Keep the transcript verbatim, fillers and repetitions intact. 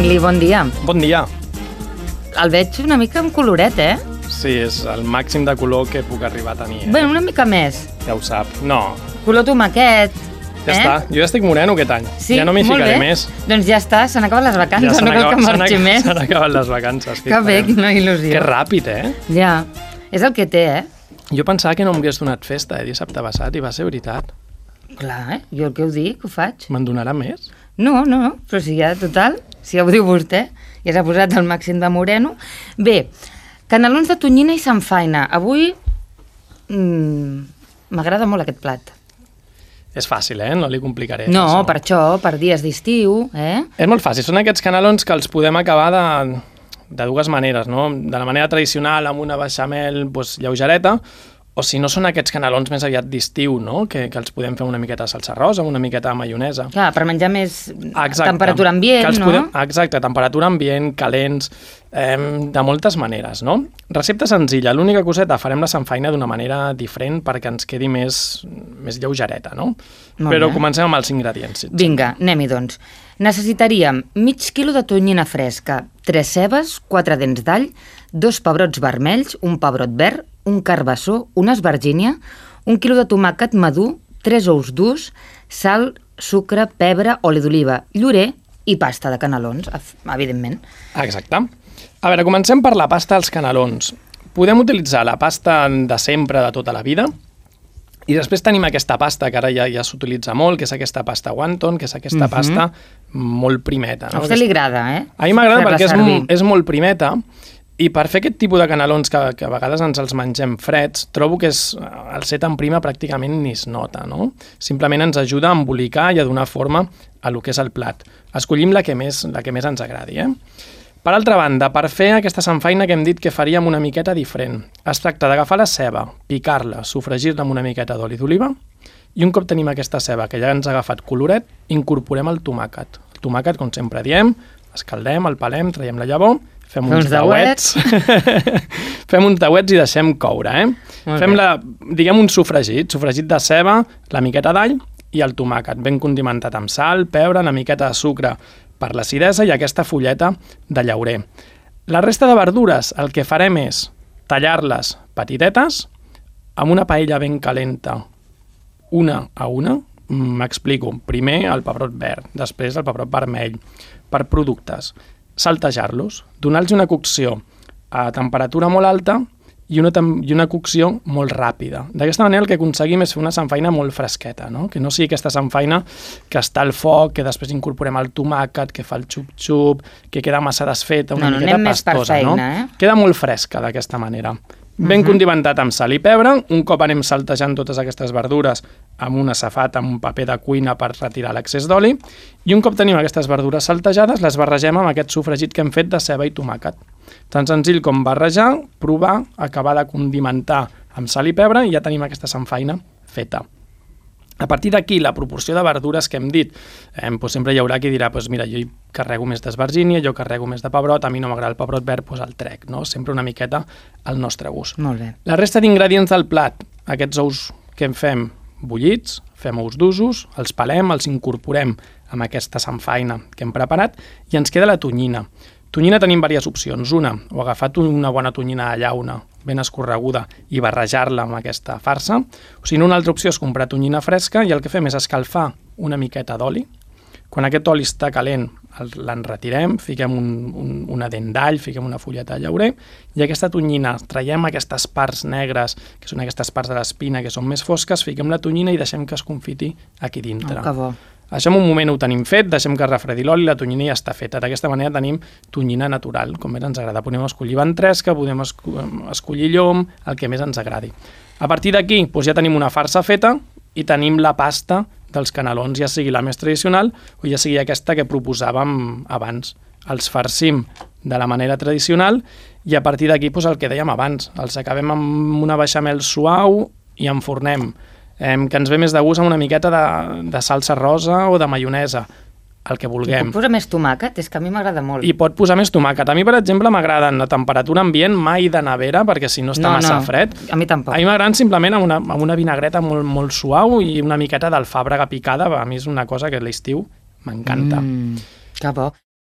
Emili, bon dia. Bon dia. El veig una mica amb coloret, eh? Sí, és el màxim de color que puc arribar a tenir. Eh? Bé, una mica més. Ja ho sap. No. Color tomaquet. Ja eh? està. Jo ja estic moreno aquest any. Sí, ja no m'hi molt ficaré bé. més. Doncs ja està, s'han acabat les vacances, Ja no cal que marxi més. S'han acabat les vacances. Que bé, quina il·lusió. Que ràpid, eh? Ja, és el que té, eh? Jo pensava que no m'hagués donat festa eh, dissabte passat i va ser veritat. Clar, eh? Jo el que ho dic, ho faig. Me'n donarà més? No, no, no, però si ja, total, si ja ho diu vostè, ja s'ha posat el màxim de moreno. Bé, canelons de tonyina i samfaina. Avui mmm, m'agrada molt aquest plat. És fàcil, eh? No li complicaré. No, això. per això, per dies d'estiu, eh? És molt fàcil. Són aquests canelons que els podem acabar de, de dues maneres, no? De la manera tradicional, amb una beixamel doncs, lleugereta, o si no són aquests canelons més aviat d'estiu, no? Que, que els podem fer una miqueta de salsa rosa, una miqueta de maionesa. Clar, per menjar més exacte. Temperatura ambient, no? Podem, exacte, temperatura ambient, calents, eh, de moltes maneres, no? Recepta senzilla, l'única coseta, farem la samfaina d'una manera diferent perquè ens quedi més, més lleugereta, no? Molt Però bé. comencem amb els ingredients. Vinga, anem-hi doncs. Necessitaríem mig quilo de tonyina fresca, tres cebes, quatre dents d'all, dos pebrots vermells, un pebrot verd, un carbassó, una esvergínia, un quilo de tomàquet madur, tres ous durs, sal, sucre, pebre, oli d'oliva, llorer i pasta de canelons, evidentment. Exacte. A veure, comencem per la pasta dels canelons. Podem utilitzar la pasta de sempre, de tota la vida, i després tenim aquesta pasta que ara ja, ja s'utilitza molt, que és aquesta pasta wonton, que és aquesta Mhm. pasta molt primeta. A No? vostè li agrada, eh? A mi m'agrada Fer-la perquè és, servir. m- és molt primeta i per fer aquest tipus de canelons que, que a vegades ens els mengem freds, trobo que és, el ser tan prima pràcticament ni es nota, no? Simplement ens ajuda a embolicar i a donar forma a lo que és el plat. Escollim la que més, la que més ens agradi, eh? Per altra banda, per fer aquesta samfaina que hem dit que faríem una miqueta diferent, es tracta d'agafar la ceba, picar-la, sofregir-la amb una miqueta d'oli d'oliva i un cop tenim aquesta ceba que ja ens ha agafat coloret, incorporem el tomàquet. El tomàquet, com sempre diem, escaldem, el pelem, traiem la llavor, fem uns tauets, fem uns tauets i deixem coure, eh? Molt Fem bé. la, diguem un sofregit, sofregit de ceba, la miqueta d'all i el tomàquet, ben condimentat amb sal, pebre, una miqueta de sucre per l'acidesa i aquesta fulleta de llaurer. La resta de verdures el que farem és tallar-les petitetes amb una paella ben calenta, una a una. M'explico. Primer el pebrot verd, després el pebrot vermell, per productes. Saltejar-los, donar-los una cocció a temperatura molt alta i una, i una cocció molt ràpida. D'aquesta manera el que aconseguim és fer una samfaina molt fresqueta, no? Que no sigui aquesta samfaina que està al foc, que després incorporem el tomàquet, que fa el xup-xup, que queda massa desfeta, una No, no, miqueta anem més per pastosa, feina, no? eh? Queda molt fresca d'aquesta manera. Ben Mhm. condimentat amb sal i pebre, un cop anem saltejant totes aquestes verdures amb una safata, amb un paper de cuina per retirar l'excés d'oli, i un cop tenim aquestes verdures saltejades, les barregem amb aquest sofregit que hem fet de ceba i tomàquet. Tan senzill com barrejar, provar, acabar de condimentar amb sal i pebre i ja tenim aquesta samfaina feta. A partir d'aquí, la proporció de verdures que hem dit, eh, doncs sempre hi haurà qui dirà, doncs mira, jo hi carrego més d'esvergínia, jo carrego més de pebrot, a mi no m'agrada el pebrot verd, doncs el trec, no? Sempre una miqueta al nostre gust. Molt bé. La resta d'ingredients del plat, aquests ous que en fem bullits, fem ous d'usos, els pelem, els incorporem amb aquesta samfaina que hem preparat i ens queda la tonyina. Tonyina tenim diverses opcions. Una, o agafar una bona tonyina de llauna, ben escorreguda, i barrejar-la amb aquesta farsa. O si no, una altra opció és comprar tonyina fresca i el que fem és escalfar una miqueta d'oli. Quan aquest oli està calent, l'enretirem, fiquem un, un, una dent d'all, fiquem una fulleta de llaurer, i aquesta tonyina, traiem aquestes parts negres, que són aquestes parts de l'espina que són més fosques, fiquem la tonyina i deixem que es confiti aquí dintre. Oh, que bo. Això en un moment ho tenim fet, deixem que refredi l'oli i la tonyina ja està feta. D'aquesta manera tenim tonyina natural, com més ens agrada. Podem escollir ventresca, podem escollir llom, el que més ens agradi. A partir d'aquí doncs ja tenim una farsa feta i tenim la pasta dels canelons, ja sigui la més tradicional o ja sigui aquesta que proposàvem abans. Els farcim de la manera tradicional i a partir d'aquí doncs el que dèiem abans, els acabem amb una beixamel suau i enfornem. Eh, que ens ve més de gust amb una miqueta de, de salsa rosa o de maionesa, el que I vulguem. puc posar més tomàquet? És que a mi m'agrada molt. I pot posar més tomàquet. A mi, per exemple, m'agraden a temperatura ambient, mai de nevera, perquè si no està No, massa no, fred. a mi tampoc. A mi m'agraden simplement amb una, amb una vinagreta molt, molt suau i una miqueta d'alfàbrega picada. A mi és una cosa que a l'estiu m'encanta. Mm, que bo.